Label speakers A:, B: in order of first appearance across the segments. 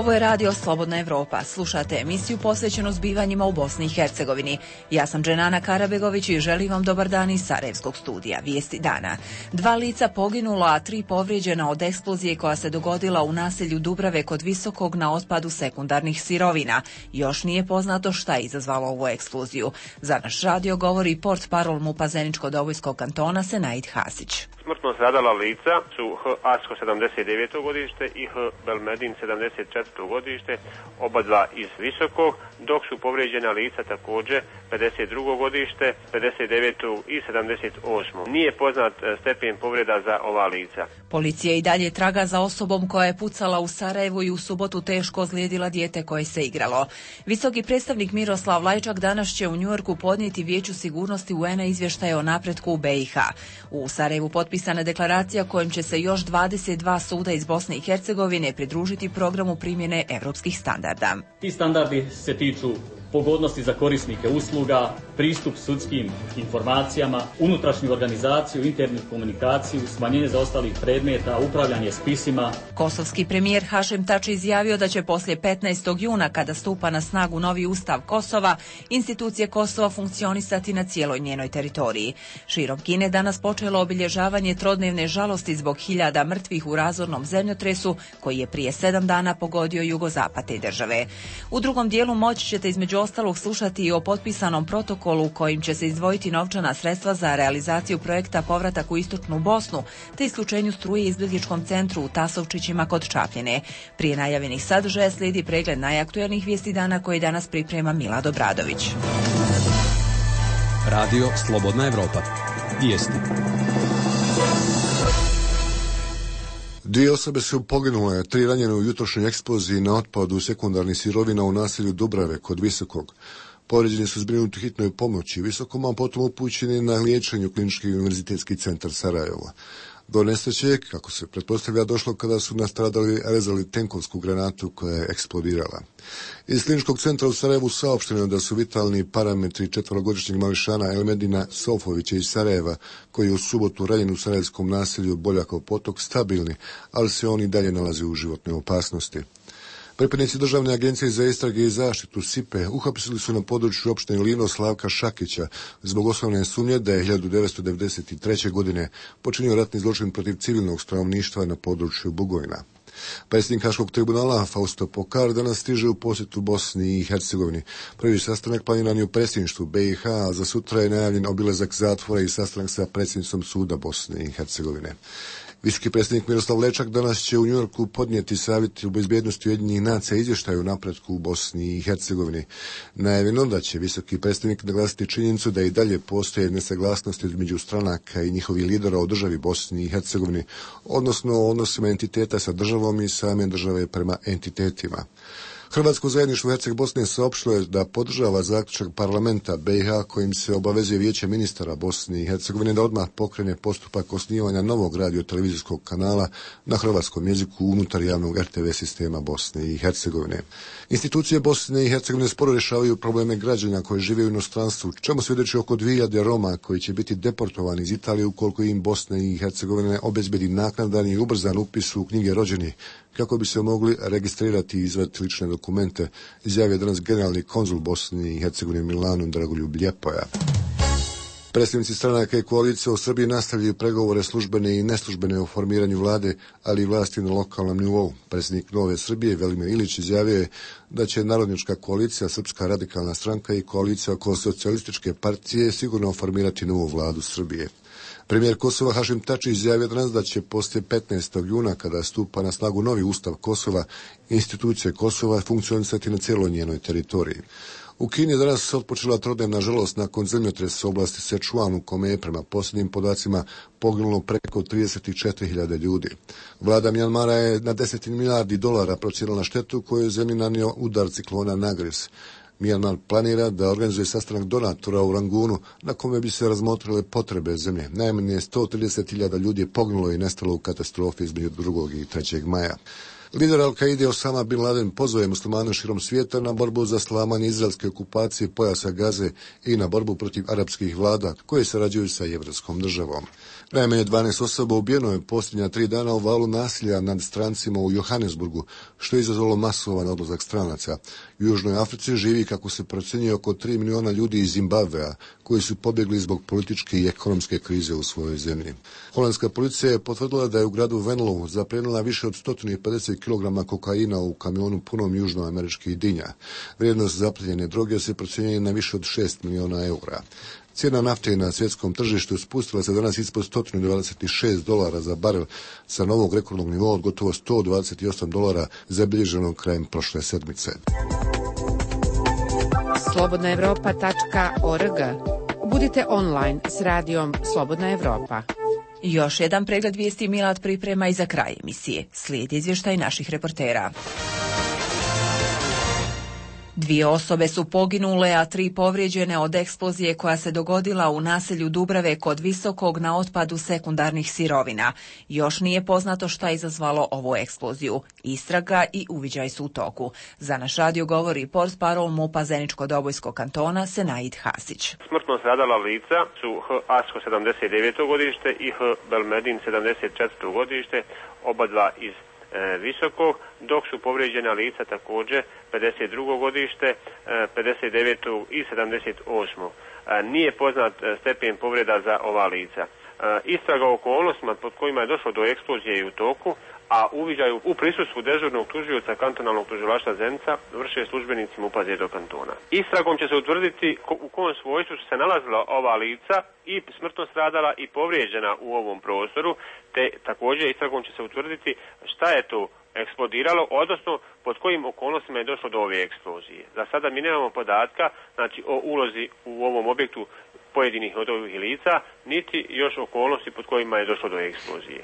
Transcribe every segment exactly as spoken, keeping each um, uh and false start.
A: Ovo je radio Slobodna Evropa. Slušate emisiju posvećenu zbivanjima u Bosni i Hercegovini. Ja sam Dženana Karabegović i želim vam dobar dan iz Sarajevskog studija. Vijesti dana. Dva lica poginula, a tri povrijeđena od eksplozije koja se dogodila u naselju Dubrave kod Visokog na otpadu sekundarnih sirovina. Još nije poznato šta je izazvalo ovu eksploziju. Za naš radio govori portparol MUP-a Zeničko-Dobojskog kantona Senaid Hasić.
B: Smrtno stradala lica su H. Asko sedamdeset deveto godište i H. Belmedin sedamdeset četvrto godište, oba dva iz Visokog, dok su povrijeđena lica također pedeset drugo godište, pedeset deveto i sedamdeset osmo. Nije poznat stepen povreda za ova lica.
A: Policija i dalje traga za osobom koja je pucala u Sarajevu i u subotu teško ozlijedila dijete koje se igralo. Visoki predstavnik Miroslav Lajčak danas će u Njujorku podnijeti Vijeću sigurnosti U N-a izvještaje o napretku u B i H. U Sarajevu potpisana deklaracija kojom će se još dvadeset dva suda iz Bosne i Hercegovine pridružiti programu primjene evropskih standarda.
C: Ti standardi se tiču pogodnosti za korisnike usluga, pristup sudskim informacijama, unutrašnju organizaciju, internu komunikaciju, smanjenje zaostalih predmeta, upravljanje spisima.
A: Kosovski premijer Hašem Tači izjavio da će poslije petnaestog juna, kada stupa na snagu novi ustav Kosova, institucije Kosova funkcionisati na cijeloj njenoj teritoriji. Širom Kine danas počelo obilježavanje trodnevne žalosti zbog hiljada mrtvih u razornom zemljotresu koji je prije sedam dana pogodio jugozapad te države. U drugom dijelu moći ćete između ostalog slušati i o potpisanom protokolu kojim će se izdvojiti novčana sredstva za realizaciju projekta Povratak u istočnu Bosnu te isključenju struje izbjegličkom centru u Tasovčićima kod Čapljine. Prije najavljenih sadržaja slijedi pregled najaktuelnijih vijesti dana koji danas priprema Milad Obradović.
D: Radio Slobodna Evropa. Vijesti.
E: Dvije osobe su poginule, tri ranjene u jutrošnjoj eksploziji na otpadu sekundarnih sirovina u naselju Dubrave kod Visokog. Povrijeđeni su zbrinuti hitnoj pomoći Visokom, a potom upućeni na liječenje u Klinički univerzitetski centar Sarajevo. Do nesreće, kako se pretpostavlja, došlo kada su nastradali rezali tenkovsku granatu koja je eksplodirala. Iz Kliničkog centra u Sarajevu saopšteno je da su vitalni parametri četverogodišnjeg mališana Elmedina Sofovića iz Sarajeva, koji je u subotu ranjen u sarajevskom naselju Boljakov potok, stabilni, ali se oni dalje nalaze u životnoj opasnosti. Pripadnici Državne agencije za istrage i zaštitu S I P E uhapsili su na području opštine Livno Slavka Šakića zbog osnovne sumnje da je hiljadu devetsto devedeset treće. godine počinio ratni zločin protiv civilnog stanovništva na području Bugojna. Predsjednik Haškog tribunala Fausto Pokar danas stiže u posjetu Bosni i Hercegovini. Prvi sastanak planiran je u predsjedništvu B i H, a za sutra je najavljen obilazak zatvora i sastanak sa predsjednicom suda Bosne i Hercegovine. Visoki predsjednik Miroslav Lajčak danas će u Njujorku podnijeti savjet u bezbjednosti Ujedinjenih nacija izvještaju o napretku u Bosni i Hercegovini. Najavljeno da će visoki predsjednik naglasiti činjenicu da i dalje postoje nesaglasnosti između stranaka i njihovih lidera o državi Bosni i Hercegovini, odnosno o odnosima entiteta sa državom i same države prema entitetima. Hrvatsko zajedništvo Herceg Bosne saopštilo je da podržava zaključak parlamenta B i H kojim se obavezuje Vijeće ministara Bosne i Hercegovine da odmah pokrene postupak osnivanja novog radio-televizijskog kanala na hrvatskom jeziku unutar javnog R T V sistema Bosne i Hercegovine. Institucije Bosne i Hercegovine sporo rješavaju probleme građana koji žive u inostranstvu, čemu svjedoči oko dvije hiljade Roma koji će biti deportovani iz Italije ukoliko im Bosne i Hercegovine obezbedi naknadan i ubrzan upis u knjige rođenih, kako bi se mogli registrirati i izvaditi lične dokumente, izjavio danas generalni konzul Bosne i Hercegovine Milanu Dragoljub Ljepoja. Predstavnici stranaka i koalicije u Srbiji nastavljaju pregovore službene i neslužbene o formiranju vlade, ali i vlasti na lokalnom nivou. Predsjednik Nove Srbije Velimir Ilić izjavio je da će Narodnjačka koalicija, Srpska radikalna stranka i koalicija oko socijalističke partije sigurno formirati novu vladu Srbije. Premijer Kosova Hašim Tači izjavio danas da će poslije petnaestog juna, kada stupa na snagu novi ustav Kosova, institucije Kosova funkcionisati na cijeloj njenoj teritoriji. U Kini je danas otpočela trodnevna žalost nakon zemljotresa u oblasti Sečuan u kome je prema posljednjim podacima poginulo preko trideset četiri hiljade ljudi. Vlada Mjanmara je na deset milijardi dolara procijenila štetu koju je zemlji nanio udar ciklona Nagris. Mjanmar planira da organizuje sastanak donatora u Rangunu na kome bi se razmotrile potrebe zemlje. Najmanje sto trideset hiljada ljudi je poginulo i nestalo u katastrofi između drugog i trećeg maja. Lider Al-Kaide Osama bin Laden pozove muslimane širom svijeta na borbu za slamanje izraelske okupacije pojasa Gaze i na borbu protiv arapskih vlada koje sarađuju sa jevrijskom državom. Najmanje dvanaest osoba ubijeno je posljednja tri dana u valu nasilja nad strancima u Johannesburgu, što je izazvalo masovan odlazak stranaca. U Južnoj Africi živi, kako se procjenjuje, oko tri miliona ljudi iz Zimbabvea, koji su pobjegli zbog političke i ekonomske krize u svojoj zemlji. Holandska policija je potvrdila da je u gradu Venlo zaplijenila više od sto pedeset kilograma kokaina u kamionu punom južnoameričkih dinja. Vrijednost zaplijenjene droge se procjenjuje na više od šest miliona eura. Cijena nafte na svjetskom tržištu spustila se danas ispod sto dvadeset šest dolara za barel sa novog rekordnog nivoa od gotovo sto dvadeset osam dolara zabilježenog krajem prošle sedmice.
F: slobodna evropa tačka org. Budite online s radijom Slobodna Evropa.
A: Još jedan pregled vijesti Milad priprema i za kraj emisije. Slijedi izvještaj naših reportera. Dvije osobe su poginule, a tri povrijeđene od eksplozije koja se dogodila u naselju Dubrave kod Visokog na otpadu sekundarnih sirovina. Još nije poznato šta je izazvalo ovu eksploziju. Istraga i uviđaj su u toku. Za naš radio govori portparol MUP-a Zeničko-Dobojskog kantona Senaid Hasić.
B: Smrtno stradala lica su H. Asko sedamdeset deveto godište i H. Belmedin sedamdeset četvrto godište, oba dva iz Visokog, dok su povrijeđena lica također pedeset drugo godište, pedeset deveto i sedamdeset osmo Nije poznat stepen povreda za ova lica. Istraga o okolnostima pod kojima je došlo do eksplozije i u toku, a uviđaju u prisustvu dežurnog tužioca kantonalnog tužilaštva Zenica vrše službenici MUP-a Zeničkog kantona. Istragom će se utvrditi u kom svojstvu su se nalazila ova lica i smrtno stradala i povrijeđena u ovom prostoru, te također istragom će se utvrditi šta je to eksplodiralo, odnosno pod kojim okolnostima je došlo do ove eksplozije. Za sada mi nemamo podatka, znači, o ulozi u ovom objektu pojedinih od ovih lica, niti još okolnosti pod kojima je došlo do eksplozije.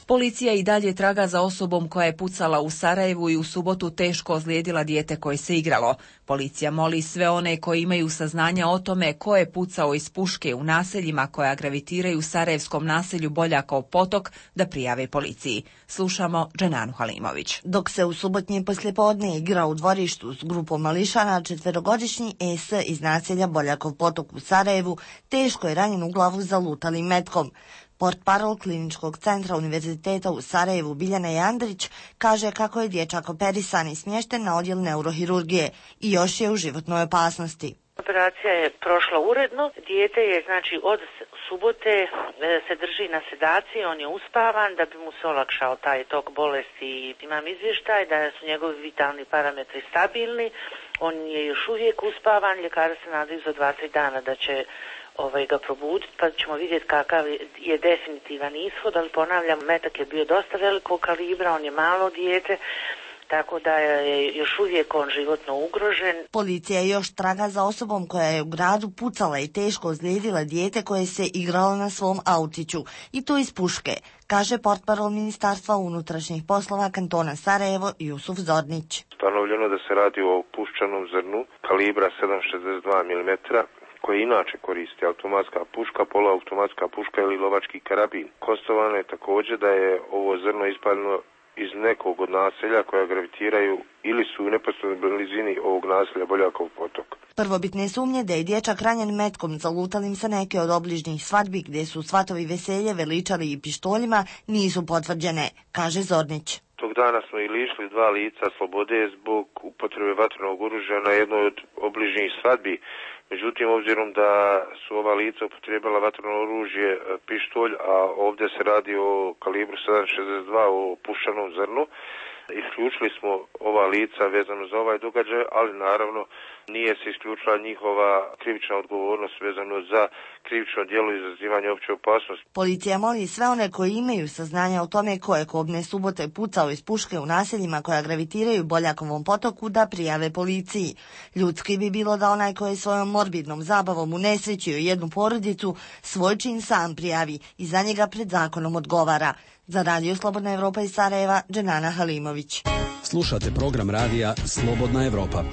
A: Policija i dalje traga za osobom koja je pucala u Sarajevu i u subotu teško ozlijedila dijete koje se igralo. Policija moli sve one koji imaju saznanja o tome ko je pucao iz puške u naseljima koja gravitiraju u sarajevskom naselju Boljakov potok da prijave policiji. Slušamo Dženanu Halimović.
G: Dok se u subotnje poslijepodne igra u dvorištu s grupom mališana, četverogodišnji E S iz naselja Boljakov potok u Sarajevu teško je ranjen u glavu zalutalim metkom. Portparol Kliničkog centra Univerziteta u Sarajevu Biljana Jandrić kaže kako je dječak operisan i smješten na odjel neurohirurgije i još je u životnoj opasnosti.
H: Operacija je prošla uredno. Dijete je, znači, od subote se drži na sedaciji, on je uspavan da bi mu se olakšao taj tok bolesti. Imam izvještaj da su njegovi vitalni parametri stabilni, on je još uvijek uspavan, ljekari se nadaju za dva tri dana da će ovaj, ga probuditi, pa ćemo vidjeti kakav je definitivan ishod, ali ponavljam, metak je bio dosta velikog kalibra, on je malo dijete, tako da je još uvijek on životno ugrožen.
G: Policija je još traga za osobom koja je u gradu pucala i teško ozlijedila dijete koje se igralo na svom autiću, i to iz puške, kaže portparol Ministarstva unutrašnjih poslova kantona Sarajevo Jusuf Zornić.
I: Stanovljeno da se radi o puščanom zrnu kalibra sedam zarez šezdeset dva milimetra, koje inače koristi automatska puška, poluautomatska puška ili lovački karabin. Konstatovano je također da je ovo zrno ispaljeno iz nekog od naselja koja gravitiraju ili su u neposrednoj blizini ovog naselja Boljakov potok.
G: Prvobitne sumnje da je dječak ranjen metkom zalutalim sa neke od obližnjih svadbi gdje su svatovi veselje veličali i pištoljima nisu potvrđene, kaže Zornić.
I: Tog dana smo i lišili dva lica slobode zbog upotrebe vatrenog oružja na jednoj od obližnjih svadbi. Međutim, obzirom da su ova lica upotrijebila vatreno oružje, pištolj, a ovdje se radi o kalibru sedam zarez šezdeset dva, o puščanom zrnu, isključili smo ova lica vezano za ovaj događaj, ali naravno nije se isključila njihova krivična odgovornost vezano za krivično djelo izazivanja opće opasnosti.
G: Policija moli sve one koji imaju saznanja o tome ko je kobne subote pucao iz puške u naseljima koja gravitiraju Boljakovom potoku da prijave policiji. Ljudski bi bilo da onaj koji je svojom morbidnom zabavom unesrećio jednu porodicu svoj čin sam prijavi i za njega pred zakonom odgovara. Za Radio Slobodna Evropa iz Sarajeva, Dženana Halimović.
D: Slušate program radija Slobodna Evropa.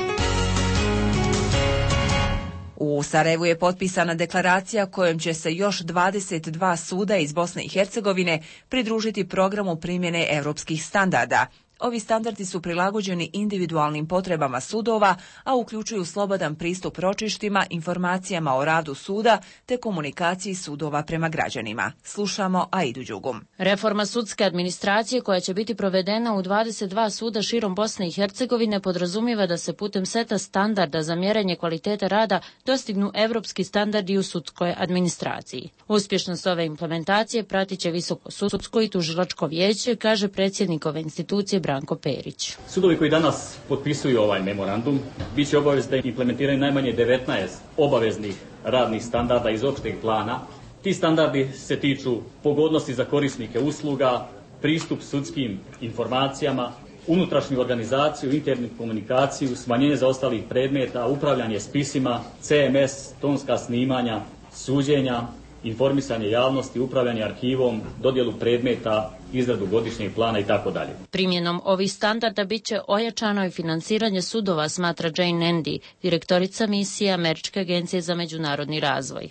A: U Sarajevu je potpisana deklaracija kojom će se još dvadeset dva suda iz Bosne i Hercegovine pridružiti programu primjene europskih standarda. Ovi standardi su prilagođeni individualnim potrebama sudova, a uključuju slobodan pristup ročištima, informacijama o radu suda te komunikaciji sudova prema građanima. Slušamo Aidu Đugum.
J: Reforma sudske administracije koja će biti provedena u dvadeset dva suda širom Bosne i Hercegovine podrazumijeva da se putem seta standarda za mjerenje kvalitete rada dostignu evropski standardi u sudskoj administraciji. Uspješnost ove implementacije pratit će Visoko sudsko i tužilačko vijeće, kaže predsjednik ove institucije Branko Perić.
C: Sudovi koji danas potpisuju ovaj memorandum bit će obavezni da implementiraju najmanje devetnaest obaveznih radnih standarda iz opšteg plana. Ti standardi se tiču pogodnosti za korisnike usluga, pristup sudskim informacijama, unutrašnju organizaciju, internu komunikaciju, smanjenje zaostalih predmeta, upravljanje spisima, C M S, tonska snimanja, suđenja, informisanje javnosti, upravljanje arhivom, dodjelu predmeta, izradu godišnjeg plana i tako dalje.
J: Primjenom ovih standarda bit će ojačano i financiranje sudova, smatra Jane Andy, direktorica misije Američke agencije za međunarodni razvoj.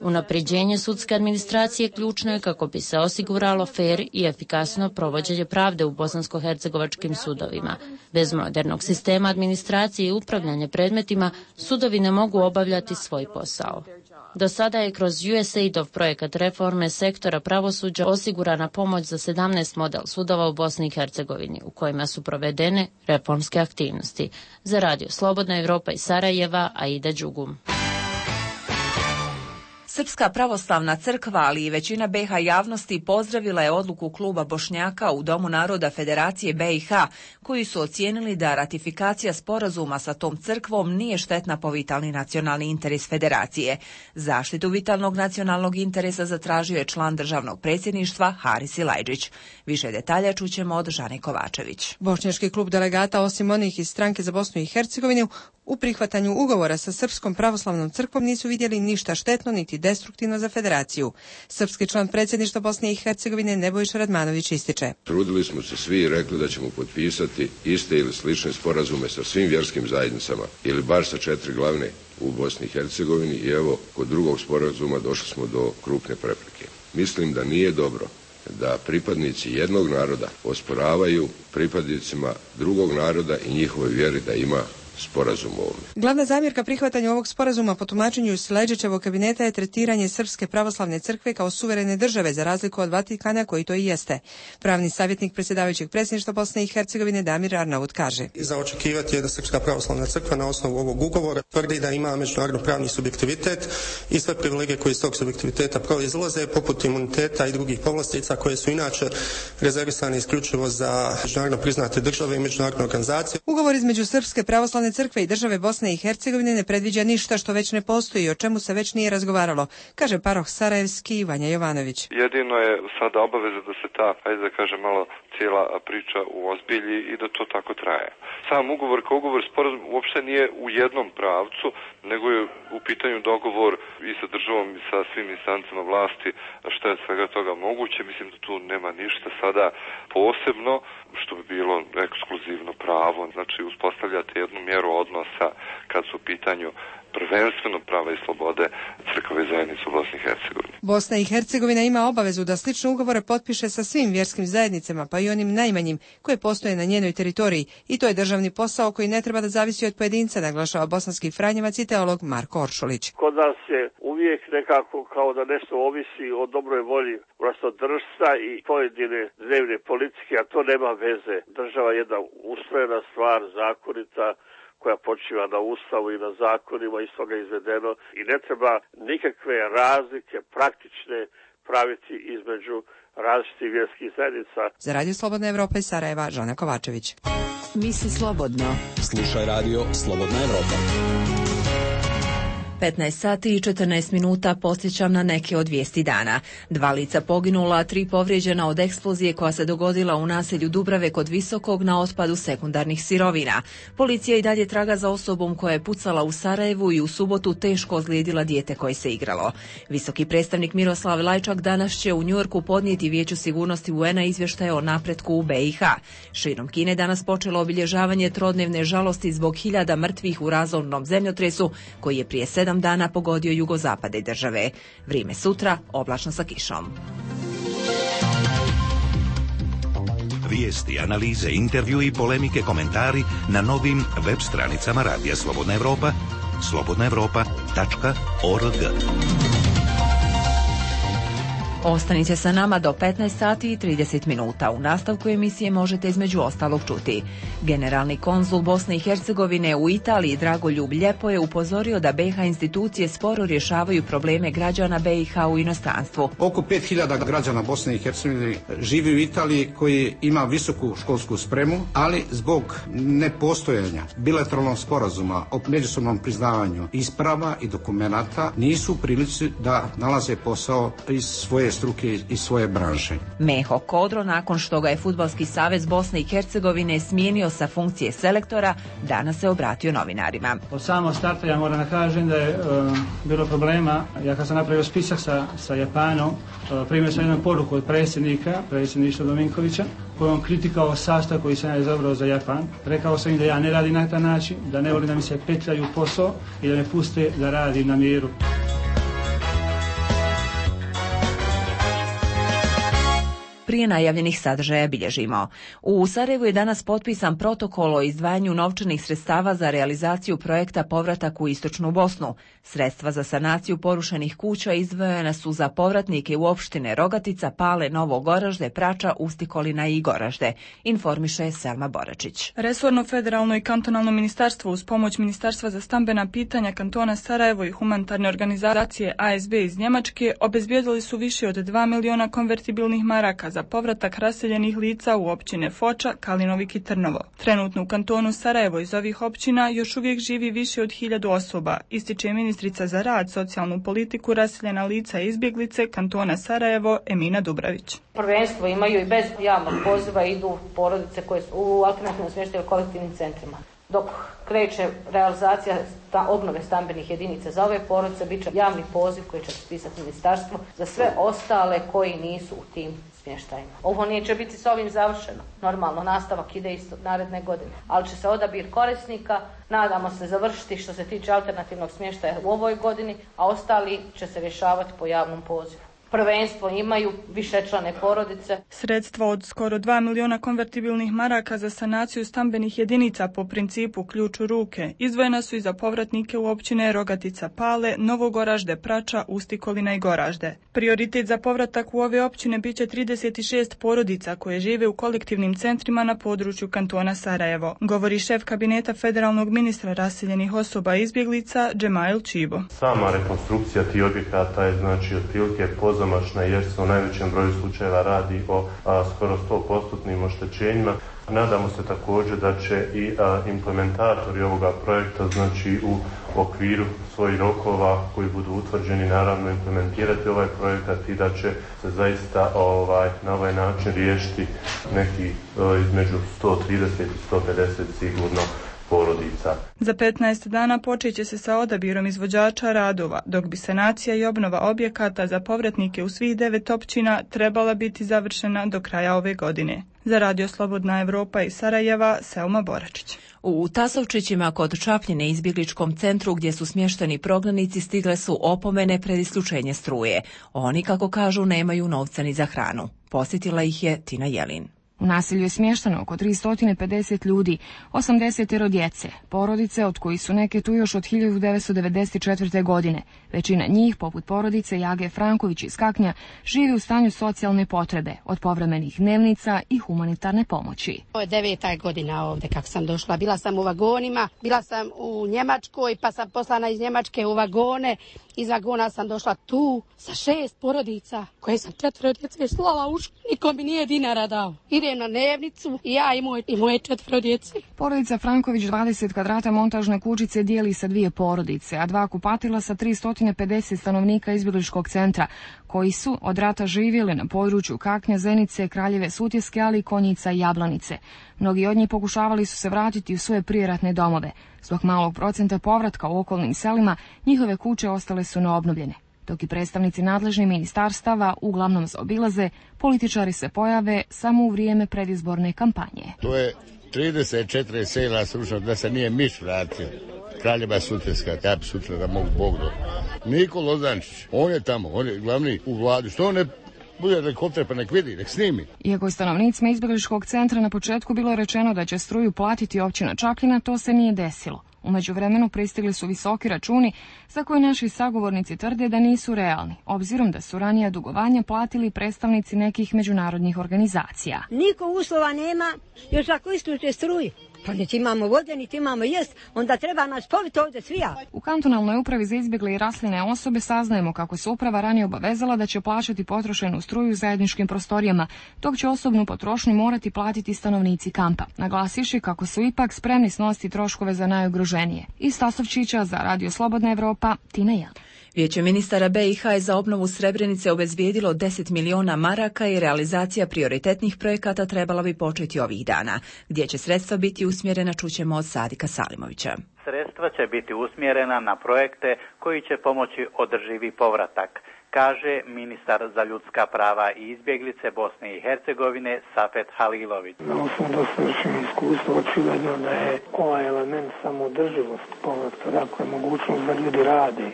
J: Unapređenje sudske administracije ključno je kako bi se osiguralo fer i efikasno provođenje pravde u bosansko-hercegovačkim sudovima. Bez modernog sistema administracije i upravljanja predmetima sudovi ne mogu obavljati svoj posao. Do sada je kroz U S A I D-ov projekat reforme sektora pravosuđa osigurana pomoć za sedamnaest model sudova u Bosni i Hercegovini, u kojima su provedene reformske aktivnosti. Za radio Slobodna Evropa iz Sarajeva, Aida Đugum.
A: Srpska pravoslavna crkva, ali i većina B iH javnosti pozdravila je odluku kluba Bošnjaka u Domu naroda Federacije B iH, koji su ocijenili da ratifikacija sporazuma sa tom crkvom nije štetna po vitalni nacionalni interes Federacije. Zaštitu vitalnog nacionalnog interesa zatražio je član državnog predsjedništva Haris Ilajđić. Više detalja čućemo od Žane Kovačević.
K: Bošnjački klub delegata, osim onih iz stranke za Bosnu i Hercegovinu, u prihvatanju ugovora sa Srpskom pravoslavnom crkvom nisu vidjeli ništa štetno niti destruktivno za Federaciju. Srpski član predsjedništva Bosne i Hercegovine Nebojša Radmanović ističe.
L: Trudili smo se svi i rekli da ćemo potpisati iste ili slične sporazume sa svim vjerskim zajednicama ili bar sa četiri glavne u Bosni i Hercegovini i evo kod drugog sporazuma došli smo do krupne prepreke. Mislim da nije dobro da pripadnici jednog naroda osporavaju pripadnicima drugog naroda i njihove vjeri da ima sporazum ovdje.
K: Glavna zamjerka prihvatanju ovog sporazuma po tumačenju Silajđićevog kabineta je tretiranje Srpske pravoslavne crkve kao suverene države, za razliku od Vatikana koji to i jeste. Pravni savjetnik predsjedavajućeg predsjedništva Bosne i Hercegovine Damir Arnaut kaže.
M: Za očekivati je da Srpska pravoslavna crkva na osnovu ovog ugovora tvrdi da ima međunarodno pravni subjektivitet i sve privilegije koje iz tog subjektiviteta proizlaze, poput imuniteta i drugih povlastica koje su inače rezervisane isključivo za međunarodno priznate države i međunarodne organizacije.
K: Ugovor između Srpske pravoslavne crkve i države Bosne i Hercegovine ne predviđa ništa što već ne postoji, o čemu se već nije razgovaralo, kaže paroh Sarajevski Vanja Jovanović.
N: Jedino je sada obaveza da se ta, ajde da kažem, malo cijela priča uozbilji i da to tako traje. Sam ugovor kao ugovor sporazum uopšte nije u jednom pravcu, nego je u pitanju dogovor i sa državom i sa svim instancama vlasti, što je svega toga moguće. Mislim da tu nema ništa sada posebno što bi bilo ekskluzivno pravo. Znači uspostavljate jednu mjeru odnosa kad su u pitanju prvenstveno prava i slobode crkve zajednice u Bosni i Hercegovini.
K: Bosna i Hercegovina ima obavezu da slične ugovore potpiše sa svim vjerskim zajednicama, pa i onim najmanjim koje postoje na njenoj teritoriji, i to je državni posao koji ne treba da zavisi od pojedinca, naglašava bosanski franjevac i teolog Marko Oršulić.
O: Kod nas je uvijek nekako kao da nešto ovisi o dobroj volji vlastodržca i pojedine dnevne politike, a to nema veze. Država je jedna ustrojena stvar, zakonita, koja počiva na ustavu i na zakonima, iz toga izvedeno, i ne treba nikakve razlike praktične praviti između različitih vjerskih zajednica.
K: Za radio Slobodna Evropa iz Sarajeva, Žana Kovačević.
F: Misli slobodno.
D: Slušaj radio Slobodna Evropa.
A: petnaest sati i četrnaest minuta posjećam na neke od vijesti dana. Dva lica poginula, a tri povrijeđena od eksplozije koja se dogodila u naselju Dubrave kod Visokog na otpadu sekundarnih sirovina. Policija i dalje traga za osobom koja je pucala u Sarajevu i u subotu teško ozlijedila dijete koje se igralo. Visoki predstavnik Miroslav Lajčak danas će u Njujorku podnijeti Vijeću sigurnosti U N-a izvještaje o napretku u B i H. Širom Kine danas počelo obilježavanje trodnevne žalosti zbog hiljada mrtvih u razornom zemljotresu koji je prije sedam dana pogodio jugozapade države. Vrijeme sutra, oblačno sa kišom.
P: Vijesti, analize, intervju i polemike, komentari na novim web stranicama Radija Slobodna Evropa, slobodna evropa tačka org.
A: Ostanite sa nama do petnaest sati i trideset minuta. U nastavku emisije možete između ostalog čuti. Generalni konzul Bosne i Hercegovine u Italiji Dragoljub Ljepo je upozorio da B i H institucije sporo rješavaju probleme građana B i H u inostranstvu.
Q: Oko pet hiljada građana Bosne i Hercegovine živi u Italiji koji ima visoku školsku spremu, ali zbog nepostojanja bilateralnog sporazuma o međusobnom priznavanju isprava i dokumenata nisu u prilici da nalaze posao iz svoje struke i svoje branše.
A: Meho Kodro, nakon što ga je Fudbalski savez Bosne i Hercegovine smijenio sa funkcije selektora, danas se obratio novinarima.
R: Od samog starta ja moram da kažem da je uh, bilo problema. Ja kad sam napravio spisak sa, sa Japanom, uh, primio sam jednu poruku od predsjednika, predsjedništva Dominkovića, kojom kritikao sastav koji sam ja izabrao za Japan. Rekao sam im da ja ne radim na taj način, da ne volim da mi se petljaju posao i da me puste da radim na miru.
A: Prije najavljenih sadržaja bilježimo. U Sarajevu je danas potpisan protokol o izdvajanju novčanih sredstava za realizaciju projekta Povratak u Istočnu Bosnu. Sredstva za sanaciju porušenih kuća izdvojena su za povratnike u opštine Rogatica, Pale, Novo Goražde, Prača, Ustikolina i Goražde, informiše Selma Boračić.
S: Resorno federalno i kantonalno ministarstvo uz pomoć Ministarstva za stambena pitanja kantona Sarajevo i humanitarne organizacije A S B iz Njemačke obezbijedili su više od dva miliona konvertibilnih maraka za povratak raseljenih lica u općine Foča, Kalinovik i Trnovo. Trenutno u kantonu Sarajevo iz ovih općina još uvijek živi više od hiljadu osoba, ističe ministrica za rad, socijalnu politiku, raseljena lica i izbjeglice kantona Sarajevo Emina Dubravić.
T: Prvenstvo imaju i bez javnog poziva idu porodice koje su u alternativnom smještaju kolektivnim centrima. Dok kreće realizacija sta, obnove stambenih jedinica za ove porodice, bit će javni poziv koji će pisati ministarstvo za sve ostale koji nisu u tim smještajima. Ovo neće biti s ovim završeno. Normalno, nastavak ide isto naredne godine. Ali će se odabir korisnika, nadamo se, završiti što se tiče alternativnog smještaja u ovoj godini, a ostali će se rješavati po javnom pozivu. Prvenstvo imaju višečlane porodice.
S: Sredstva od skoro dva miliona konvertibilnih maraka za sanaciju stambenih jedinica po principu ključ u ruke izdvojena su i za povratnike u općine Rogatica, Pale, Novogoražde, Prača, Ustikolina i Goražde. Prioritet za povratak u ove općine bit će trideset šest porodica koje žive u kolektivnim centrima na području kantona Sarajevo, govori šef kabineta federalnog ministra raseljenih osoba i izbjeglica Džemail Čibo.
U: Sama rekonstrukcija tih objekata je znači otprilike pozamašna jer se u najvećem broju slučajeva radi o a, skoro sto posto oštećenjima. Nadamo se također da će i a, implementatori ovoga projekta, znači u okviru svojih rokova koji budu utvrđeni, naravno implementirati ovaj projekat i da će se zaista ovaj, na ovaj način riješiti neki o, između sto trideset i sto pedeset sigurno porodica.
S: Za petnaest dana počet će se sa odabirom izvođača radova, dok bi sanacija i obnova objekata za povratnike u svih devet općina trebala biti završena do kraja ove godine. Za Radio Slobodna Evropa iz Sarajeva, Selma Boračić.
A: U Tasovčićima kod Čapljine izbjegličkom centru gdje su smješteni prognanici stigle su opomene pred isključenje struje. Oni, kako kažu, nemaju novca ni za hranu. Posjetila ih je Tina Jelin.
V: U naselju je smješteno oko tristo pedeset ljudi, osamdeset djece, porodice od kojih su neke tu još od hiljadu devetsto devedeset četvrte. godine. Većina njih, poput porodice Jage Franković iz Kaknja, živi u stanju socijalne potrebe, od povremenih dnevnica i humanitarne pomoći.
W: Ovo je deveta godina ovdje kako sam došla. Bila sam u vagonima, bila sam u Njemačkoj, pa sam poslana iz Njemačke u vagone. Iz vagona sam došla tu sa šest porodica koje sam četvero djece slala u školu. Niko mi nije dinara dao. Idem ide na dnevnicu i ja i, moj, i moje četvro djece.
V: Porodica Franković dvadeset kvadrata montažne kućice dijeli sa dvije porodice, a dva kupatila sa tristo pedeset stanovnika izbjegličkog centra, koji su od rata živjeli na području Kaknja, Zenice, Kraljeve Sutjeske, ali i Konjica i Jablanice. Mnogi od njih pokušavali su se vratiti u svoje prijeratne domove. Zbog malog procenta povratka u okolnim selima, njihove kuće ostale su neobnovljene. Dok i predstavnici nadležnih ministarstava uglavnom zaobilaze, političari se pojave samo u vrijeme predizborne kampanje.
B: To je trideset četiri sela srušeno da se nije miš vratio. Kraljeva Sutjeska, ja bi sutra da mogu Bog do. Niko Lozančić, on je tamo, on je glavni u vladi. Što on ne bude helikopter pa nek vidi, nek snimi.
V: Iako je stanovnicima izbjegličkog centra na početku bilo rečeno da će struju platiti općina Čapljina, to se nije desilo. U međuvremenu pristigli su visoki računi za koje naši sagovornici tvrde da nisu realni, obzirom da su ranija dugovanja platili predstavnici nekih međunarodnih organizacija.
E: Niko uslova nema, još ako isključe struju. Pa niti imamo vode, niti imamo jest, onda treba nas poviti ovdje svija.
V: U kantonalnoj upravi za izbjegle i raseljene osobe saznajemo kako se uprava ranije obavezala da će plaćati potrošenu struju u zajedničkim prostorijama, dok će osobnu potrošnju morati platiti stanovnici kampa, naglasivši kako su ipak spremni snositi troškove za najugroženije. Iz Tasovčića za Radio Slobodna Evropa, Tina Jan.
A: Vijeće ministara B i H je za obnovu Srebrenice obezbijedilo deset miliona maraka i realizacija prioritetnih projekata trebala bi početi ovih dana. Gdje će sredstva biti usmjerena, čućemo od Sadika Salimovića.
H: Sredstva će biti usmjerena na projekte koji će pomoći održivi povratak, kaže ministar za ljudska prava i izbjeglice Bosne i Hercegovine Safet Halilović.
X: Na osnovu dosadašnjeg iskustva očigledno da je ovaj element samodrživost povratka, dakle mogućnost da ljudi rade,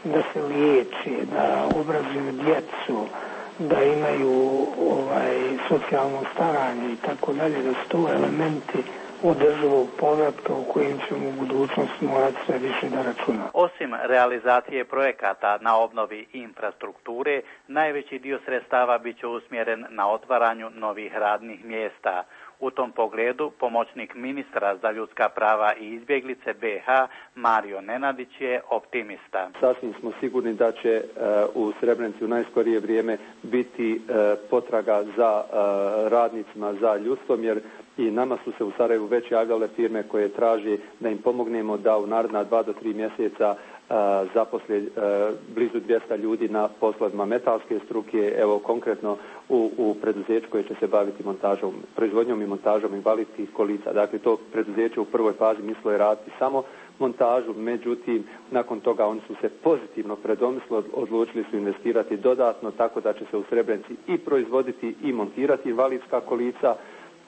X: da se liječi, da obrazuju djecu, da imaju ovaj socijalno staranje i tako dalje, da su to elementi održivog povratka u kojim ćemo u budućnosti morati sve više da računamo.
H: Osim realizacije projekata na obnovi infrastrukture, najveći dio sredstava bit će usmjeren na otvaranju novih radnih mjesta. U tom pogledu pomoćnik ministra za ljudska prava i izbjeglice B i H Mario Nenadić je optimista.
Y: Sasvim smo sigurni da će uh, u Srebrenici u najskorije vrijeme biti uh, potraga za uh, radnicima, za ljudstvom, jer i nama su se u Sarajevu već javljale firme koje traži da im pomognemo da u naredna dva do tri mjeseca Uh, zaposle uh, blizu dvjesto ljudi na poslovima metalske struke, evo konkretno u, u preduzeću koje će se baviti montažom, proizvodnjom i montažom invalidskih kolica. Dakle, to preduzeće u prvoj fazi mislilo je raditi samo montažu, međutim, nakon toga oni su se pozitivno predomislili, odlučili su investirati dodatno, tako da će se u Srebrenici i proizvoditi i montirati invalidska kolica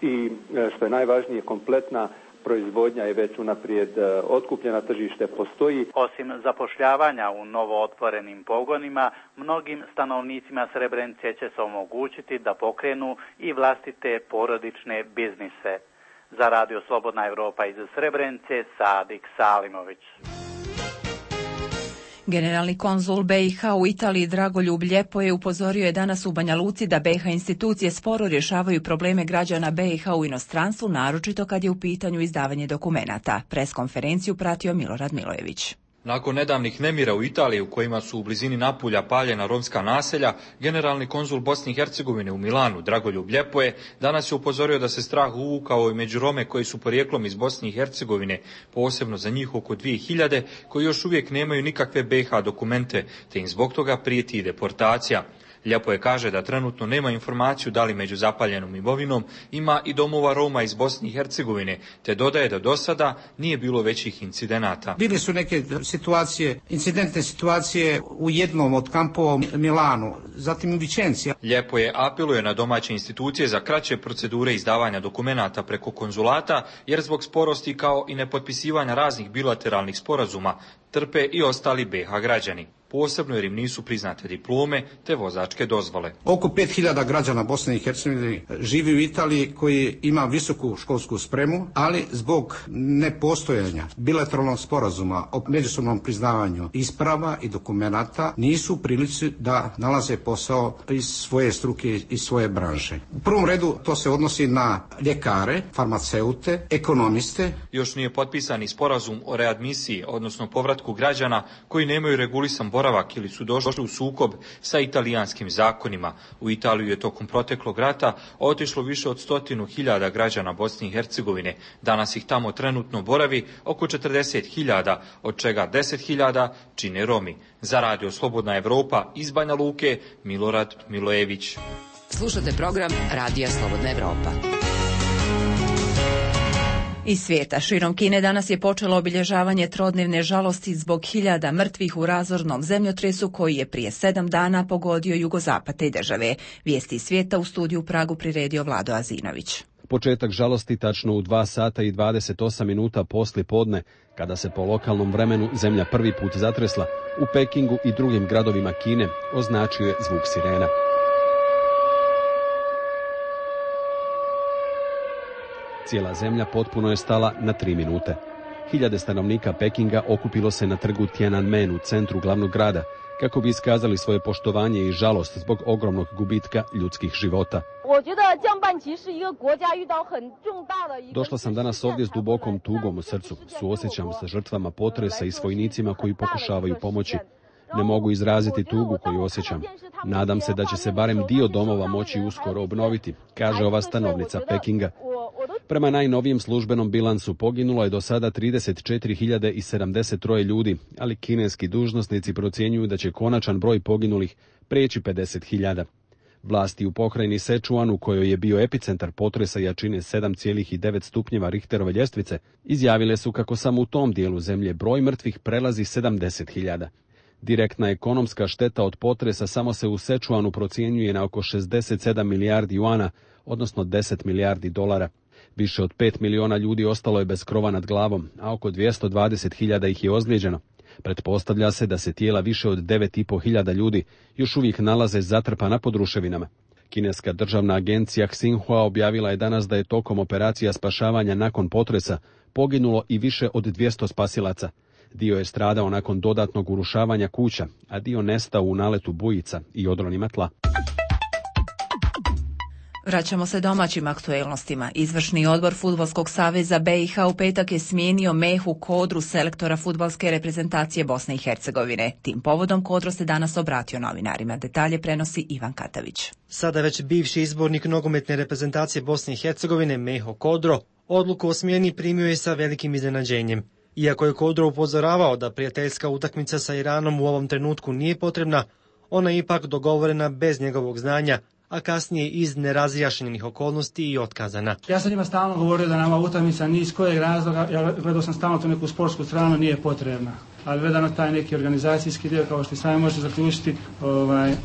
Y: i, što je najvažnije, kompletna proizvodnja je već unaprijed otkupljena, tržište postoji.
H: Osim zapošljavanja u novo otvorenim pogonima, mnogim stanovnicima Srebrenice će se omogućiti da pokrenu i vlastite porodične biznise. Za Radio Slobodna Evropa iz Srebrenice, Sadik Salimović.
A: Generalni konzul B i H u Italiji Dragoljub Ljepoje upozorio je danas u Banja Luci da B i H institucije sporo rješavaju probleme građana B i H u inostranstvu, naročito kad je u pitanju izdavanje dokumenata. Preskonferenciju pratio Milorad Milojević.
Z: Nakon nedavnih nemira u Italiji u kojima su u blizini Napulja paljena romska naselja, generalni konzul Bosne i Hercegovine u Milanu Dragoljub Ljepoje danas je upozorio da se strah uvukao i među Rome koji su porijeklom iz Bosne i Hercegovine, posebno za njih oko dvije hiljade, koji još uvijek nemaju nikakve B i H dokumente, te im zbog toga prijeti i deportacija. Ljepoje kaže da trenutno nema informaciju da li među zapaljenom imovinom ima i domova Roma iz Bosne i Hercegovine, te dodaje da do sada nije bilo većih incidenata.
Q: Bili su neke situacije, incidentne situacije u jednom od kampova u Milanu, zatim u Vičenci.
Z: Ljepoje apeluje na domaće institucije za kraće procedure izdavanja dokumenata preko konzulata, jer zbog sporosti kao i nepotpisivanja raznih bilateralnih sporazuma trpe i ostali B i H građani, posebno jer im nisu priznate diplome te vozačke dozvole.
Q: Oko pet hiljada građana Bosne i Hercegovine živi u Italiji koji ima visoku školsku spremu, ali zbog nepostojanja bilateralnog sporazuma o međusobnom priznavanju isprava i dokumenata nisu u prilici da nalaze posao iz svoje struke i svoje branše. U prvom redu to se odnosi na ljekare, farmaceute, ekonomiste.
Z: Još nije potpisani sporazum o readmisiji, odnosno povratku građana koji nemaju regulisan boravak boravak ili su došli u sukob sa italijanskim zakonima. U Italiju je tokom proteklog rata otišlo više od stotinu hiljada građana Bosne i Hercegovine. Danas ih tamo trenutno boravi oko četrdeset hiljada, od čega deset hiljada čine Romi. Za Radio Slobodna Evropa iz Banja Luke, Milorad Milojević.
C: Slušate program Radija Slobodna Evropa.
A: Iz svijeta širom Kine danas je počelo obilježavanje trodnevne žalosti zbog hiljada mrtvih u razornom zemljotresu koji je prije sedam dana pogodio jugozapad te države. Vijesti iz svijeta u studiju u Pragu priredio Vlado Azinović.
D: Početak žalosti tačno u dva sata i dvadeset osam minuta poslije podne, kada se po lokalnom vremenu zemlja prvi put zatresla, u Pekingu i drugim gradovima Kine označio je zvuk sirena. Cijela zemlja potpuno je stala na tri minute. Hiljade stanovnika Pekinga okupilo se na trgu Tiananmen u centru glavnog grada, kako bi iskazali svoje poštovanje i žalost zbog ogromnog gubitka ljudskih života. Došla sam danas ovdje s dubokom tugom u srcu. Suosjećam sa žrtvama potresa i s vojnicima koji pokušavaju pomoći. Ne mogu izraziti tugu koju osjećam. Nadam se da će se barem dio domova moći uskoro obnoviti, kaže ova stanovnica Pekinga. Prema najnovijem službenom bilansu poginulo je do sada trideset četiri hiljade sedamdeset tri ljudi, ali kineski dužnosnici procjenjuju da će konačan broj poginulih preći pedeset hiljada. Vlasti u pokrajini Sečuan, u kojoj je bio epicentar potresa jačine sedam zarez devet stupnjeva Richterove ljestvice, izjavile su kako samo u tom dijelu zemlje broj mrtvih prelazi sedamdeset hiljada. Direktna ekonomska šteta od potresa samo se u Sečuanu procjenjuje na oko šezdeset sedam milijardi juana, odnosno deset milijardi dolara. Više od pet miliona ljudi ostalo je bez krova nad glavom, a oko dvjesto dvadeset hiljada ih je ozlijeđeno. Pretpostavlja se da se tijela više od devet i pol hiljada ljudi još uvijek nalaze zatrpana pod ruševinama. Kineska državna agencija Xinhua objavila je danas da je tokom operacija spašavanja nakon potresa poginulo i više od dvjesto spasilaca. Dio je stradao nakon dodatnog urušavanja kuća, a dio nestao u naletu bujica i odronima tla.
A: Vraćamo se domaćim aktuelnostima. Izvršni odbor Fudbalskog saveza B i H u petak je smijenio Mehu Kodru, selektora fudbalske reprezentacije Bosne i Hercegovine. Tim povodom Kodro se danas obratio novinarima. Detalje prenosi Ivan Katavić.
G: Sada već bivši izbornik nogometne reprezentacije Bosne i Hercegovine Meho Kodro odluku o smjeni primio je sa velikim iznenađenjem. Iako je Kodro upozoravao da prijateljska utakmica sa Iranom u ovom trenutku nije potrebna, ona je ipak dogovorena bez njegovog znanja, a kasnije iz nerazjašnjenih okolnosti i otkazana.
R: Ja sam njima stalno govorio da nama utakmica ni iz kojeg razloga, ja gledao sam stalno tu neku sportsku stranu, nije potrebna. Ali gledano taj neki organizacijski dio, kao što i sami možete zaključiti, ovaj, uh,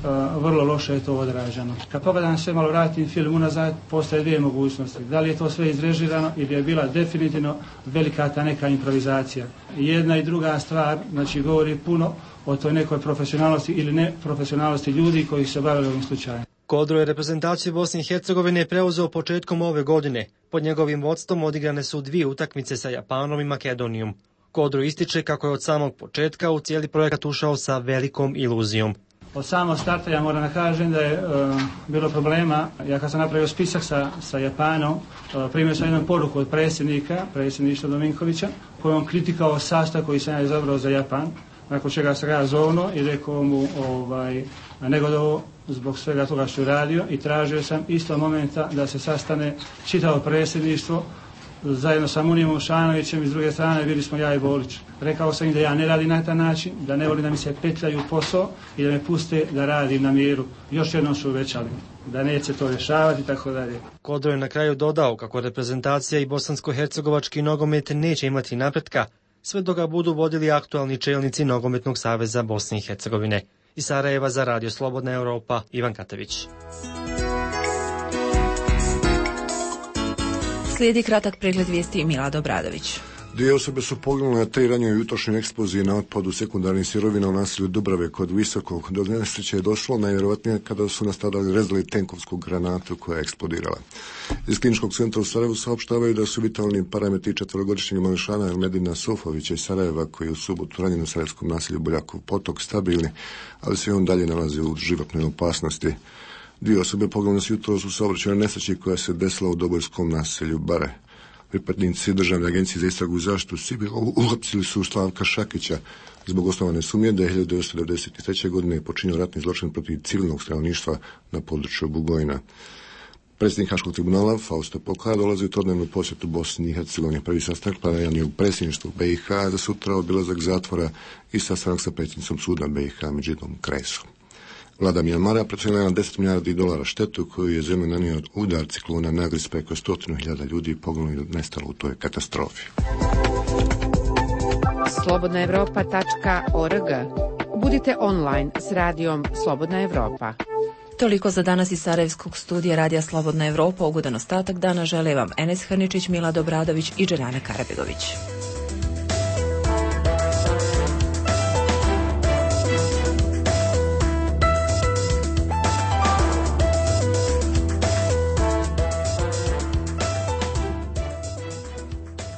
R: vrlo loše je to odraženo. Kad pogledam sve, malo vratim film unazad, postoje dvije mogućnosti. Da li je to sve izrežirano ili je bila definitivno velika ta neka improvizacija. Jedna i druga stvar, znači govori puno o toj nekoj profesionalnosti ili neprofesionalnosti ljudi koji se bavili ovim slučajem.
G: Kodro je reprezentaciju Bosne i Hercegovine preuzeo početkom ove godine. Pod njegovim vodstvom odigrane su dvije utakmice sa Japanom i Makedonijom. Kodro ističe kako je od samog početka u cijeli projekat ušao sa velikom iluzijom.
R: Od samog starta ja moram da kažem da je uh, bilo problema. Ja kad sam napravio spisak sa, sa Japanom, uh, primio sam jednu poruku od predsjednika, predsjedništva Dominkovića, kojom kritikao sastav koji sam ja izabrao za Japan, nakon čega sam ga zovno i rekao mu ovaj, negodovo zbog svega toga što je radio i tražio sam isto momenta da se sastane čitavo predsjedništvo zajedno sa Munijom Šanovićem i s druge strane bili smo ja i Bolić. Rekao sam im da ja ne radim na taj način, da ne volim da mi se petljaju posao i da me puste da radim na miru. Još jednom su uvećali da neće to rješavati i tako dalje.
G: Kodro je na kraju dodao kako reprezentacija i bosansko-hercegovački nogomet neće imati napretka sve dok ga budu vodili aktualni čelnici Nogometnog saveza Bosne i Hercegovine. Iz Sarajeva za Radio Slobodna Evropa, Ivan Katavić.
A: Slijedi kratak pregled vijesti Milada Obradović.
I: Dvije osobe su poginule na tri ranije jutrošnje eksplozije na otpadu sekundarnih sirovina u naselju Dubrave kod Visokog. Do nesreće je došlo najvjerojatnije kada su nastradali rezali tenkovsku granatu koja je eksplodirala. Iz kliničkog centra u Sarajevu saopštavaju da su vitalni parametri četverogodišnjeg mališana Elmedina Sofovića iz Sarajeva, koji je u subotu ranjen u sarajevskom naselju Boljakov potok, stabilni, ali se on dalje nalazi u životnoj opasnosti. Dvije osobe poginule su jutros u saobraćajnoj nesreći koja se desila u Dobojskom naselju Bare. Pripadnici Državne agencije za istragu i zaštitu civila uhapsili su Slavka Šakića zbog osnovane sumnje da je hiljadu devetsto devedeset treće. godine počinio ratni zločin protiv civilnog stanovništva na području Bugojna. Predsjednik Haškog tribunala Fausto Pokah dolazi u trodnevnu posjetu Bosni i Hercegovini. Prvi sastanak planiran je u predsjedništvu B i H za sutra, obilazak zatvora i sastanak sa predsjednicom suda B i H Medžidom Kresom. Vlada Mjanmara procijenila na deset milijardi dolara štetu koju je zemlja nanio udar ciklona Nagris, preko stotinu hiljada ljudi poginulo i nestalo u toj katastrofi.
F: slobodna evropa tačka org. Budite online s radijom Slobodna Evropa.
A: Toliko za danas iz Sarajevskog studija Radija Slobodna Evropa. Ugodan ostatak dana žele vam Enes Hrničić, Milad Obradović i Dženana Karabegović.